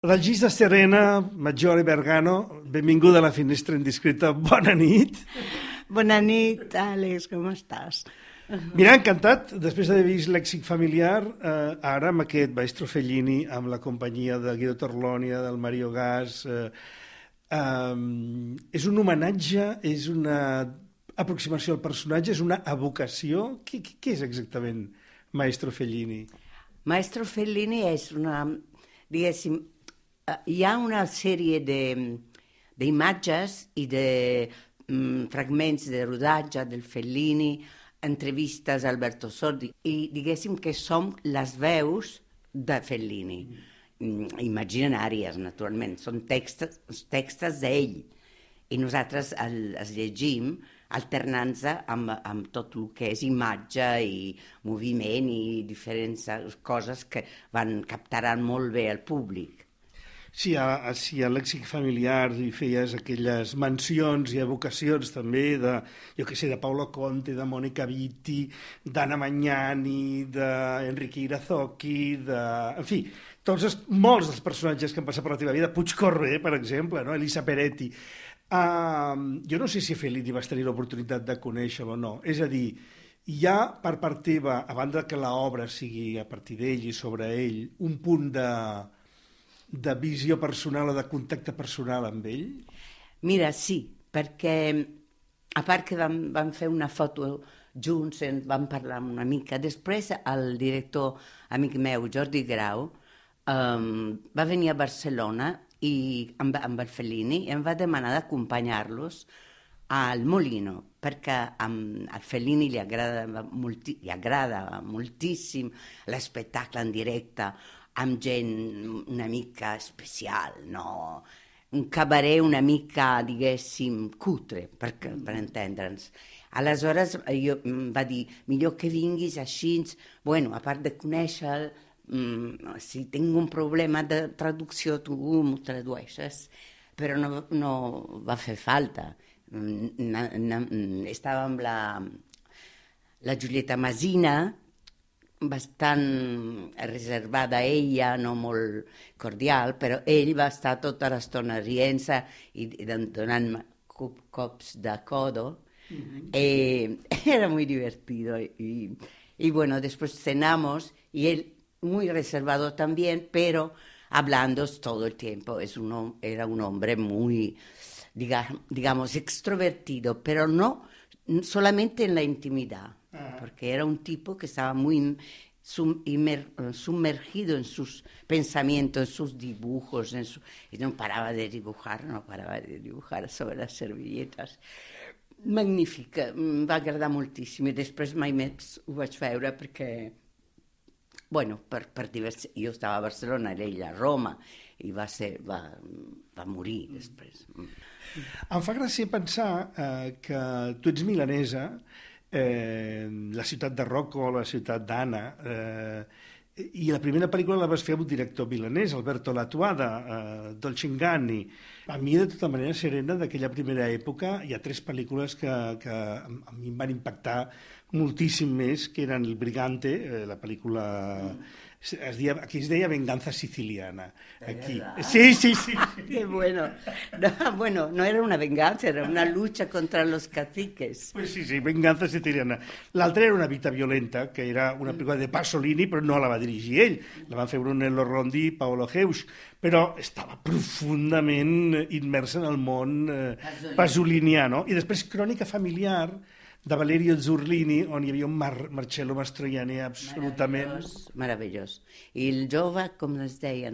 Regista Serena, Maggiore Bergano, benvinguda a la Finestra Indiscreta, bona nit. Bona nit, Àlex, com estàs? Mira, encantat, després d'haver vist Lèxic familiar, ara amb aquest Maestro Fellini, amb la companyia de Guido Torlonia, del Mario Gas, és un homenatge, és una aproximació al personatge, és una evocació. Què és exactament Maestro Fellini? Maestro Fellini és una, diguéssim, hi ha una sèrie d'imatges i de fragments de rodatge del Fellini, entrevistes a Alberto Sordi, i diguéssim que som les veus de Fellini, imaginàries, naturalment, són textos d'ell, i nosaltres els llegim alternant-se amb tot el que és imatge i moviment i diferents coses que captaran molt bé al públic. Si a Lèxic familiar hi feies aquelles mencions i evocacions també de, jo què sé, de Paolo Conte, de Mónica Vitti, d'Anna Magnani, d'Enrique Irazoki, en fi, molts dels personatges que han passat per la teva vida, Puig Correr, per exemple, no? Elisa Peretti. Jo no sé si Fellini vas tenir l'oportunitat de conèixer-lo o no, és a dir, hi ha per part teva, a banda que l'obra sigui a partir d'ell i sobre ell, un punt de visió personal o de contacte personal amb ell? Mira, sí, perquè a part que vam fer una foto junts, vam parlar una mica, després el director amic meu, Jordi Grau, va venir a Barcelona amb el Fellini i em va demanar d'acompanyar-los al Molino, perquè al Fellini li agrada moltíssim l'espectacle en directe, amb gent una mica especial, no? Un cabaret una mica, diguéssim, cutre, per entendre'ns. Aleshores va dir, millor que vinguis així, bueno, a part de conèixer, si tinc un problema de traducció tu m'ho tradueixes, però no va fer falta. Estava amb la Giulietta Masina, bastant reservada a ella, no molt cordial, però ell va estar tota l'estona rient-se i donant-me cops de codo. Era muy divertido y bueno, después cenamos y él muy reservado también, pero hablando todo el tiempo. Era un hombre muy, digamos, extrovertido, pero no solamente en la intimidad, porque era un tipo que estaba muy sumergido en sus pensamientos, en sus dibujos, y no paraba de dibujar sobre les servilletes. Magnífica, em va agradar moltíssim, i després mai més ho vaig veure perquè, bueno, jo estava a Barcelona i ell a Roma, i va morir després. Em fa gràcia pensar que tu ets milanesa, la ciutat de Rocco, la ciutat d'Anna, i la primera pel·lícula la vas fer amb un director milanès, Alberto Latuada, Dolce Inganni. A mi, de tota manera, Serena, d'aquella primera època, hi ha 3 pel·lícules que a mi em van impactar moltíssim més, que eren El Brigante, la pel·lícula... Aquí es deia Venganza Siciliana. Aquí. Sí. Qué bueno. No era una venganza, era una lucha contra los caciques. Pues sí, Venganza Siciliana. L'altra era Una vita violenta, que era una pel·lícula de Pasolini, però no la va dirigir ell. La van fer Brunello Rondi i Paolo Geusch, però estava profundament immersa en el món pasolinià, no? I després Crònica familiar, de Valerio Zurlini, on hi havia un Marcello Mastroianni absolutament... Meravellós. I el jove, com es deia?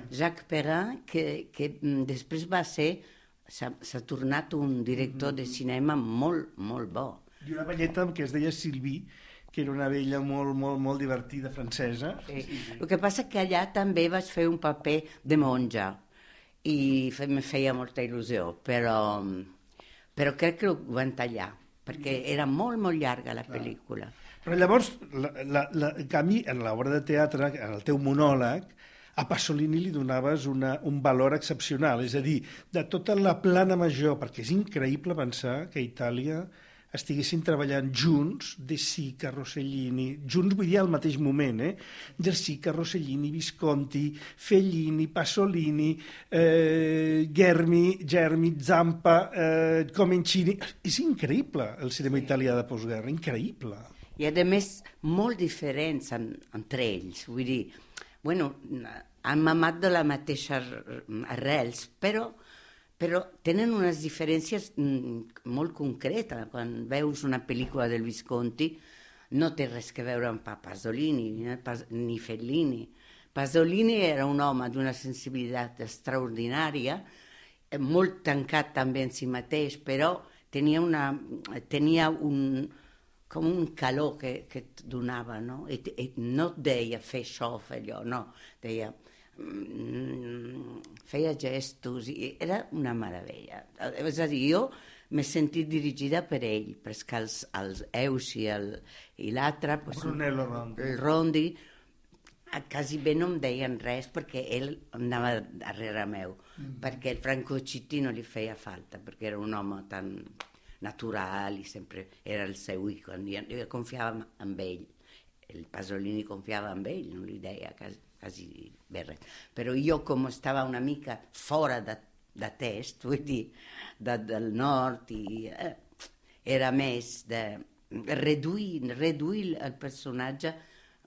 Jacques Perrin, que després s'ha tornat un director de cinema molt, molt bo. I una velleta que es deia Sylvie, que era una vella molt, molt, molt divertida, francesa. Sí. El que passa que allà també vaig fer un paper de monja i em feia molta il·lusió, però crec que ho van tallar, perquè era molt, molt llarga la pel·lícula. Però llavors, en canvi, en l'obra de teatre, en el teu monòleg, a Pasolini li donaves un valor excepcional, és a dir, de tota la plana major, perquè és increïble pensar que a Itàlia estiguessin treballant junts, De Sica, Rossellini, junts vull dir al mateix moment, De Sica, Rossellini, Visconti, Fellini, Pasolini, Germi, Zampa, Comencini... És increïble el cinema italià de postguerra, increïble. I a més, molt diferents entre ells, vull dir, bueno, han mamat de la mateixa arrels, però tenen unes diferències molt concretes. Quan veus una pel·lícula del Visconti no té res a veure amb Pasolini ni Fellini. Pasolini era un home d'una sensibilitat extraordinària, molt tancat també en si mateix, però tenia com un calor que et donava, no? I no et deia fer això, fer allò, no. Deia... feia gestos i era una meravella. És a dir, jo m'he sentit dirigida per ell, perquè els Eus i l'altre, Brunello Rondi, el Rondi, quasi bé no em deien res perquè ell anava darrere meu, perquè el Franco Citti no li feia falta, perquè era un home tan natural i sempre era el seu icon. Jo confiava en ell, el Pasolini confiava en ell, no li deia quasi bé res. Però jo, com estava una mica fora de test, vull dir, del nord, era més de reduir el personatge,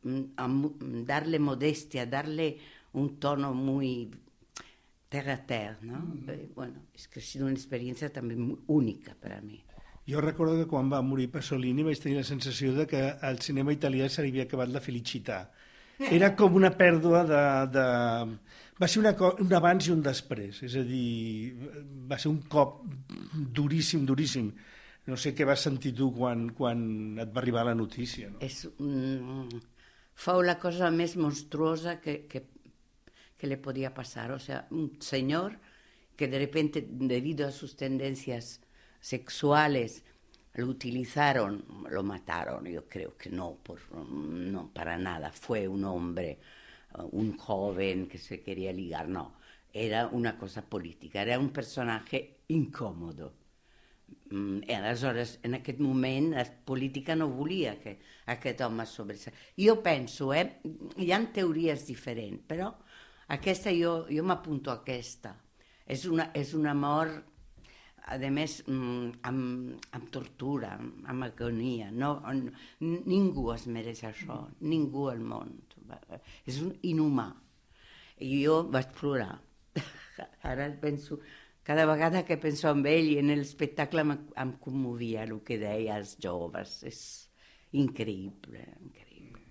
darle modestia, darle un tono muy terra a terra, ¿no? Bueno, es que ha sido una experiencia también única para mí. Jo recordo que quan va morir Pasolini vaig tenir la sensació de que al cinema italià se li havia acabat la felicitat. Era com una pèrdua Va ser un abans i un després, és a dir, va ser un cop duríssim, duríssim. No sé què vas sentir tu quan et va arribar la notícia. No? Fue la cosa més monstruosa que le podía pasar. O sea, un señor que de repente, debido a sus tendencias sexuales, lo utilizaron, lo mataron. Yo creo que no, para nada. Fue un hombre, un joven que se quería ligar, no. Era una cosa política, era un personatge incòmodo. I aleshores, en aquest moment, la política no volia que aquest home sobresaltés. Jo penso, hi ha teories diferents, però aquesta jo m'apunto a aquesta. És una mort, a més, amb tortura, amb agonia. Ningú es mereix això, ningú al món. És inhumà. I jo vaig plorar. Ara penso, cada vegada que penso en ell i en l'espectacle em commovia el que deia als joves. És increïble, increïble.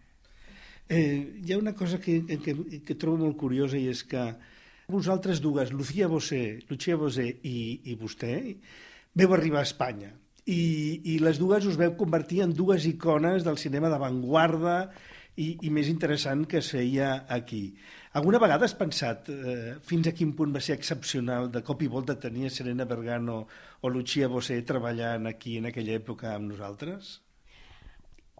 Hi ha una cosa que trobo molt curiosa i és que vosaltres dues, Lucia Bosé i vostè, veu arribar a Espanya i les dues us veu convertir en dues icones del cinema d'avantguarda i més interessant que es feia aquí. Alguna vegada has pensat fins a quin punt va ser excepcional de cop i volta tenir Serena Bergano o Lucia Bosé treballant aquí en aquella època amb nosaltres?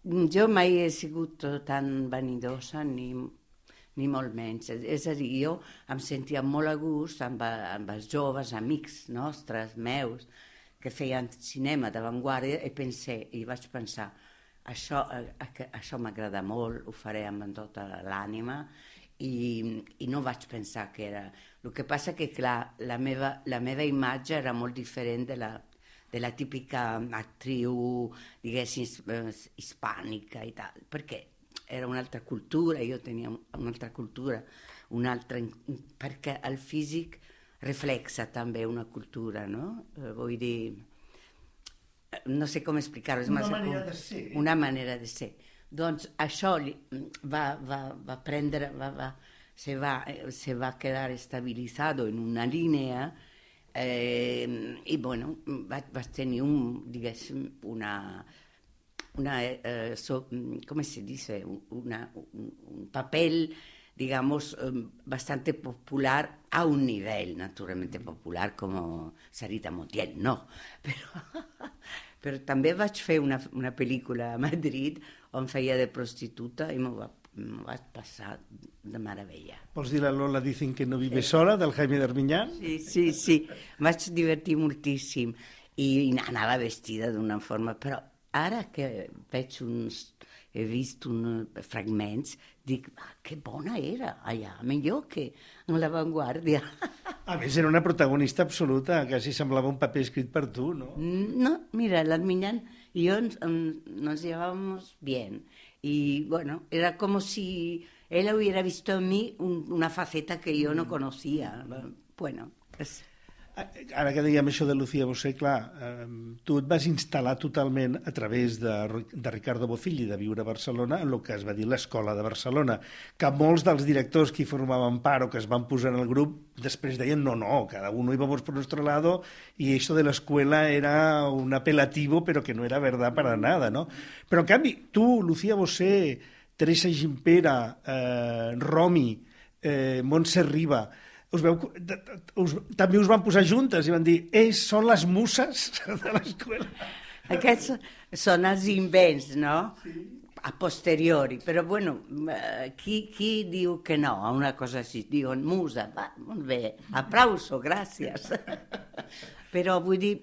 Jo mai he sigut tan vanidosa ni molt menys. És a dir, jo em sentia molt a gust amb els joves amics nostres, meus, que feien cinema d'avantguarda i vaig pensar, això m'agrada molt, ho faré amb tota l'ànima i no vaig pensar que era... El que passa que, clar, la meva imatge era molt diferent de la típica actriu, diguéssim, hispànica i tal, perquè era un'altra cultura, jo tenia un'altra cultura, perquè el físic reflexa també una cultura, no? Vull dir, no sé com explicar-ho. Una manera de ser. Una manera de ser. Doncs això se va quedar estabilitzado en una línia i, bueno, vaig tenir ¿cómo se dice? Un papel, digamos, bastante popular, a un nivel naturalmente popular como Sarita Montiel, no. Però també vaig fer una pel·lícula a Madrid on feia de prostituta i m'ho vaig passar de meravella. Vols dir la Lola Dicen que no vive sola, del Jaime d'Armiñán? Sí, vaig divertir moltíssim. i anava vestida d'una forma, però ara que he vist uns fragments, dic, que bona era allà, millor que en l'avantguàrdia. A més, era una protagonista absoluta, quasi semblava un paper escrit per tu, ¿no? No, mira, la Miñán y yo nos llevábamos bien. Y bueno, era como si él hubiera visto en mí una faceta que yo no conocía. Bueno, Ara que dèiem això de Lucía Bosé, clar, tu et vas instal·lar totalment a través de Ricardo Bofill i de viure a Barcelona en el que es va dir l'Escola de Barcelona, que molts dels directors que hi formaven part o que es van posar en el grup després deien no, cada uno íbamos por nuestro lado y esto de la escuela era un apelativo pero que no era verdad para nada, ¿no? Però en canvi, tu, Lucía Bosé, Teresa Gimpera, Romy, Montse Riba, també us van posar juntes i van dir, són les muses de l'escola. Aquests són els invents, no? Sí. A posteriori, però bueno, qui diu que no a una cosa així? Diuen musa, va, molt bé, aplauso, gràcies. Però vull dir,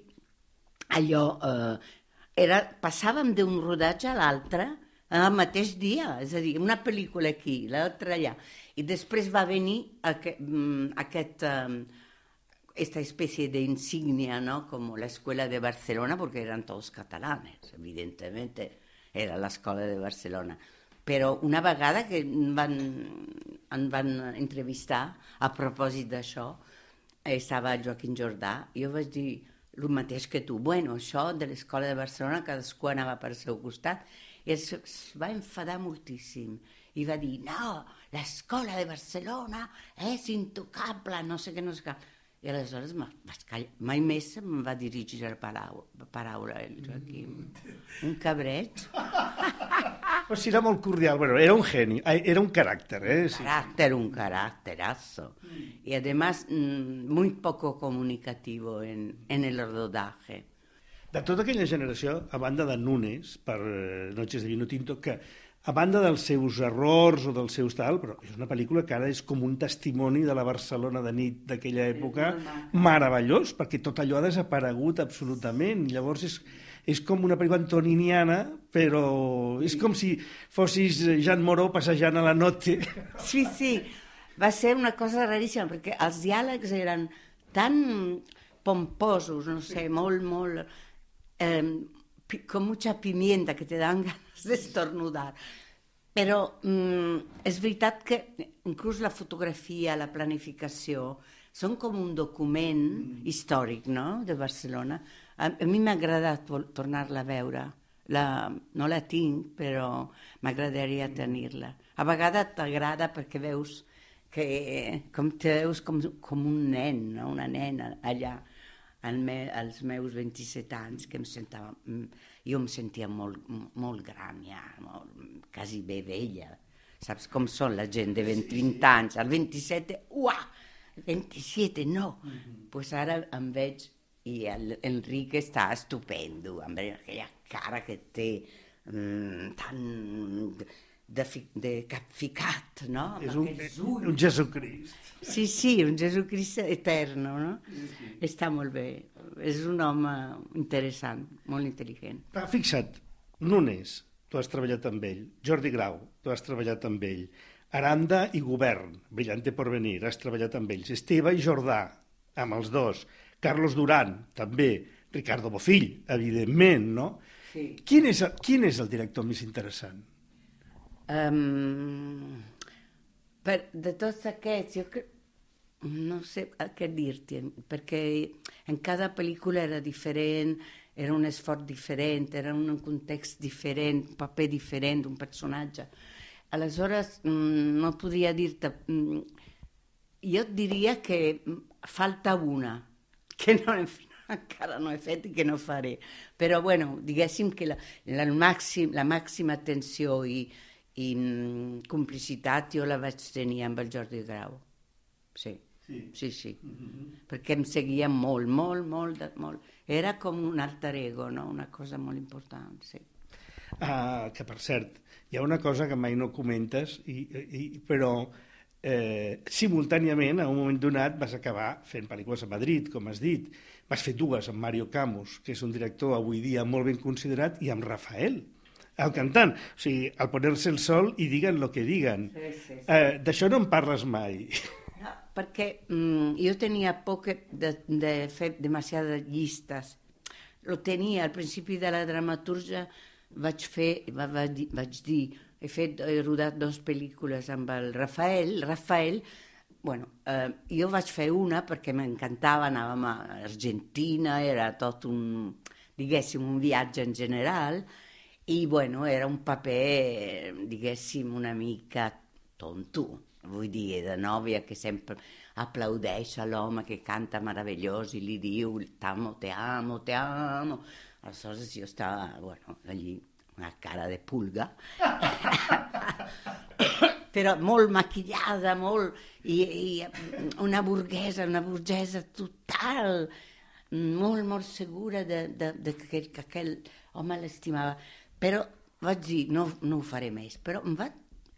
allò, passàvem d'un rodatge a l'altre el mateix dia, és a dir, una pel·lícula aquí, l'altra allà. I després va venir aquesta especie de insignia, ¿no? Como la Escuela de Barcelona, porque eran todos catalanes, evidentemente era l'Escola de Barcelona. Però una vegada que em van entrevistar a propòsit d'això, estava Joaquim Jordà, i jo vaig dir el mateix que tu, bueno, això de l'Escola de Barcelona, cadascú anava per al seu costat, i es va enfadar moltíssim, i va dir, no, l'Escola de Barcelona és intocable, no sé què, no sé què. I aleshores vaig callar. Mai més em va dirigir la paraula, el Joaquim. Un cabreig. Però sí, era molt cordial. Bueno, era un geni, era un caràcter, Sí. Un caracterazo. Y además muy poco comunicativo en el rodaje. De tota aquella generació, a banda de Nunes, per Noches de Vino Tinto, que a banda dels seus errors o dels seus tal, però és una pel·lícula que ara és com un testimoni de la Barcelona de nit d'aquella època meravellós, perquè tot allò ha desaparegut absolutament. Llavors és com una pel·lícula antoniniana, però és com si fossis Jean Moreau passejant a la noche. Sí, va ser una cosa raríssima, perquè els diàlegs eren tan pomposos, no sé, molt con mucha pimienta que te dan ganas de estornudar. Però és veritat que inclús la fotografia, la planificació, són com un document històric, no?, de Barcelona. A mi m'ha agradat tornar-la a veure. No la tinc, però m'agradaria tenir-la. A vegades t'agrada perquè veus que te veus com un nen, no? Una nena allà. Als meus 27 anys, que jo em sentia molt gran ja, quasi bé vella. Saps com són la gent de 20 anys? Al 27, 27, no! Doncs ara em veig i l'Enric està estupendo, amb aquella cara que té tan de capficat, no? És un Jesucrist. Sí, un Jesucrist eterno, no? Sí. Està molt bé. És un home interessant, molt intel·ligent. Fixa't, Nunes, tu has treballat amb ell. Jordi Grau, tu has treballat amb ell. Aranda i Govern, Brillante Porvenir, has treballat amb ells. Esteve i Jordà, amb els dos. Carlos Duran, també. Ricardo Bofill, evidentment, no? Sí. Quin és el director més interessant? De tots aquests, jo crec, no sé què dir-te, perquè en cada pel·lícula era diferent, era un esforç diferent, era un context diferent, un paper diferent, un personatge. Aleshores, no podria dir-te... Jo et diria que falta una, que encara no he fet i que no faré. Però, bueno, diguéssim que la màxima atenció i complicitat jo la vaig tenir amb el Jordi Grau. Sí. Perquè em seguia molt. Era com un alter ego, no? Una cosa molt important, sí. Que, per cert, hi ha una cosa que mai no comentes, però simultàniament, a un moment donat, vas acabar fent pel·lícules a Madrid, com has dit. Vas fer dues amb Mario Camus, que és un director avui dia molt ben considerat, i amb Rafael, el cantant. O sigui, al ponerse el sol i diguen lo que diguen. Sí. D'això no en parles mai. No, perquè jo tenia por de fer demasiades llistes. Lo tenia al principi de la dramatúrgia, vaig dir, he rodat 2 pel·lícules amb el Rafael, bueno, jo vaig fer una perquè m'encantava, anàvem a Argentina, era tot diguéssim, un viatge en general, i bueno, era un paper, diguéssim, una mica tonto, vull dir, de nòvia que sempre aplaudeix a l'home que canta meravellós i li diu t'amo, te amo, te amo. Aleshores jo estava, bueno, allí, una cara de pulga, però molt maquillada, i una burguesa total, molt segura de que aquell home l'estimava. Però vaig dir, no ho faré més. Però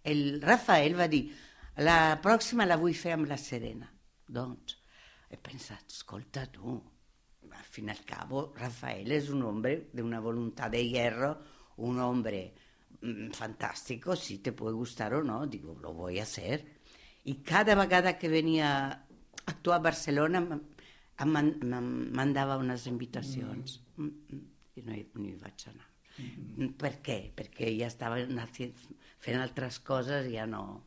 el Rafael va dir, la pròxima la vull fer amb la Serena. Doncs he pensat, escolta tu, al fin y al cabo Rafael es un hombre de una voluntad de hierro, un hombre fantástico, si te puede gustar o no, digo, lo voy a hacer. I cada vegada que venia a actuar a Barcelona em mandava unes invitacions. I no hi vaig anar. Per què? Perquè ja estava fent altres coses i ja no...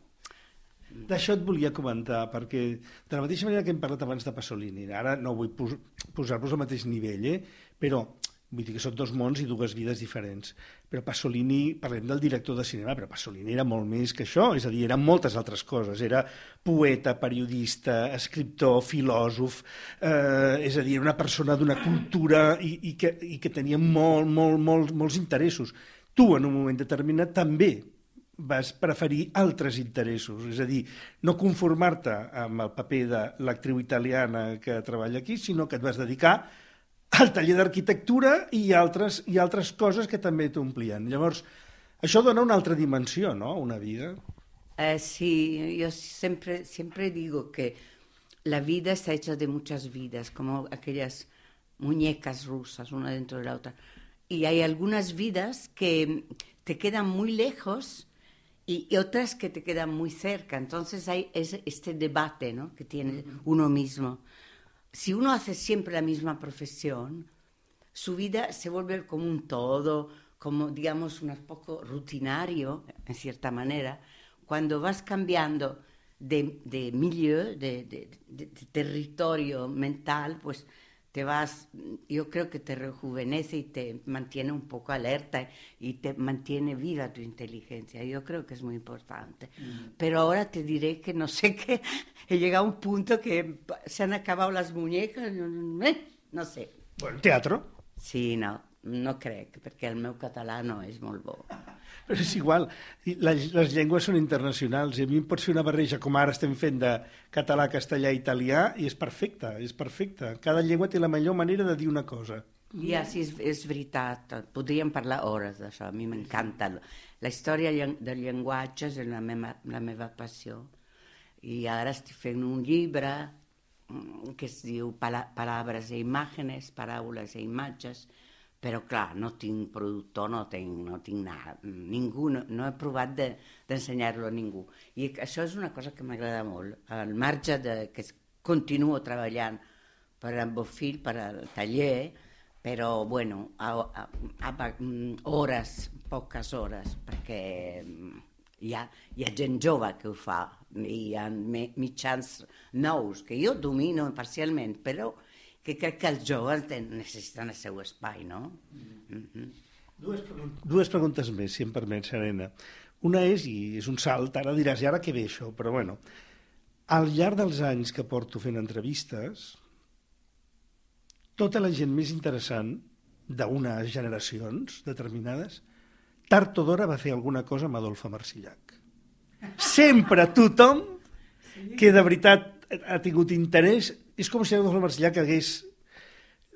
D'això et volia comentar, perquè de la mateixa manera que hem parlat abans de Pasolini, ara no vull posar-vos al mateix nivell, però vull dir que són 2 mons i 2 vides diferents. Però Pasolini, parlem del director de cinema, però Pasolini era molt més que això, és a dir, eren moltes altres coses. Era poeta, periodista, escriptor, filòsof, és a dir, una persona d'una cultura i que tenia molts interessos. Tu, en un moment determinat, també vas preferir altres interessos, és a dir, no conformar-te amb el paper de l'actriu italiana que treballa aquí, sinó que et vas dedicar al taller d'arquitectura i altres coses que també t'omplien. Llavors, això dona una altra dimensió, ¿no?, a una vida. Sí, yo siempre digo que la vida está hecha de muchas vidas, como aquellas muñecas rusas, una dentro de la otra. Y hay algunas vidas que te quedan muy lejos y otras que te quedan muy cerca. Entonces hay este debate, ¿no?, que tiene uno mismo. Si uno hace siempre la misma profesión, su vida se vuelve como un todo, como, digamos, un poco rutinario, en cierta manera. Cuando vas cambiando de milieu, de territorio mental, pues te vas, yo creo que te rejuvenece y te mantiene un poco alerta y te mantiene viva tu inteligencia. Yo creo que es muy importante. Pero ahora te diré que no sé qué, he llegado a un punto que se han acabado las muñecas, no sé. Bueno, teatro? Sí, no crec, perquè el meu català no és molt bo. Però és igual, les llengües són internacionals i a mi em pots fer una barreja com ara estem fent de català, castellà i italià i és perfecte, és perfecte. Cada llengua té la millor manera de dir una cosa. Ja, sí, és veritat. Podríem parlar hores d'això, a mi m'encanta. La història del llenguatge és la meva passió. I ara estic fent un llibre que es diu Paraules i Imágenes, Paraules i Imatges, però clar, no tinc productor, no tinc ningú, no he provat d'ensenyar-lo a ningú. I això és una cosa que m'agrada molt, al marge que continuo treballant per a Bofill, per al taller, però, bueno, poques hores, perquè hi ha gent jove que ho fa, hi ha mitjans nous, que jo domino parcialment, però que crec que els joves necessiten el seu espai, no? Dues preguntes més, si em permet, Serena. Una i és un salt, ara diràs, i ara què ve això? Però bueno, al llarg dels anys que porto fent entrevistes, tota la gent més interessant d'unes generacions determinades, tard o d'hora va fer alguna cosa amb Adolfo Marsillach. Sempre tothom que de veritat ha tingut interès, és com si Adolfo Marsillach hagués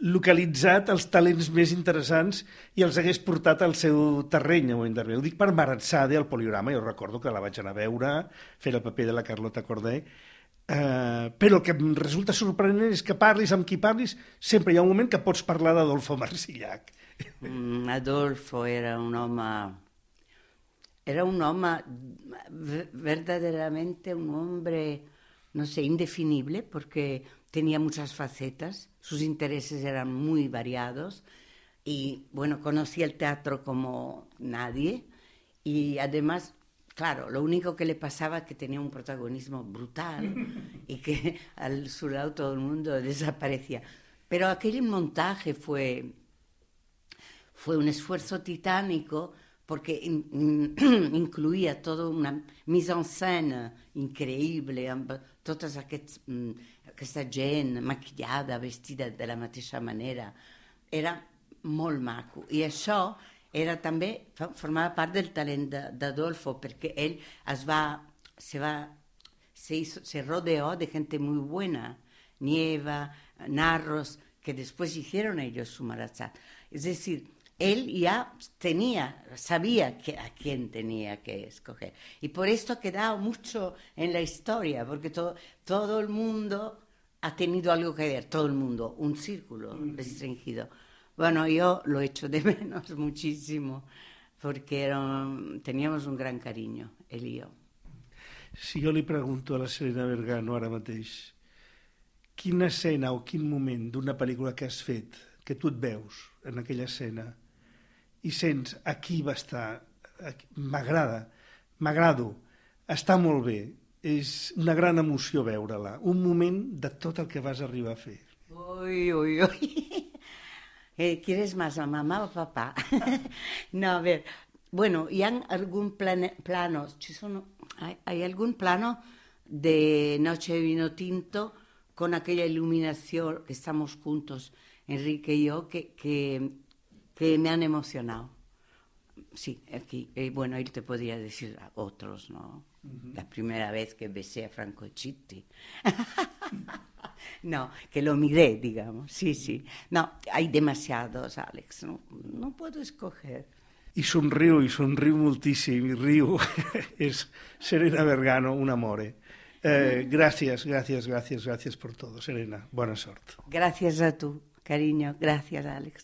localitzat els talents més interessants i els hagués portat al seu terreny. Ho dic per Marat-Sade, al Poliorama, jo recordo que la vaig anar a veure, fer el paper de la Carlota Corday, però el que em resulta sorprenent és que parlis amb qui parlis, sempre hi ha un moment que pots parlar d'Adolfo Marsillac. Adolfo era un hombre verdaderamente un hombre, no sé, indefinible, porque tenía muchas facetas, sus intereses eran muy variados y, bueno, conocía el teatro como nadie y además, claro, lo único que le pasaba es que tenía un protagonismo brutal y que a su lado todo el mundo desaparecía. Pero aquel montaje fue un esfuerzo titánico porque incluía toda una mise en scène increïble, amb tota aquesta gent maquillada, vestida de la mateixa manera. Era molt maco. I això era també, formava part del talent d'Adolfo, perquè ell se rodeó de gente muy buena, Nieva, Narros, que después hicieron ellos su Marat-Sade. Es decir, él ya sabía a quién tenía que escoger. Y por esto ha quedado mucho en la historia, porque todo el mundo ha tenido algo que ver, todo el mundo, un círculo restringido. Bueno, yo lo echo de menos muchísimo, porque teníamos un gran cariño, él y yo. Si jo li pregunto a la Serena Vergano ara mateix, quina escena o quin moment d'una pel·lícula que has fet, que tu et veus en aquella escena, i sents, aquí va estar, m'agrado, està molt bé, és una gran emoció veure-la, un moment de tot el que vas arribar a fer. Uy, uy, uy. ¿Quieres más a mamá o papá? No, a ver, bueno, y hay algún plano, hay algún plano de Noche de Vino Tinto con aquella iluminación que estamos juntos, Enrique y yo, que me han emocionado. Sí, aquí. Bueno, él te podría decir a otros, ¿no? Uh-huh. La primera vez que besé a Franco Chitti. No, que lo miré, digamos. Sí, sí. No, hay demasiados, Alex. No puedo escoger. I somriu moltíssim, i riu. És Serena Vergano, un amore. Gracias por todo, Serena. Buena sort. Gracias a tú, cariño. Gracias, Alex.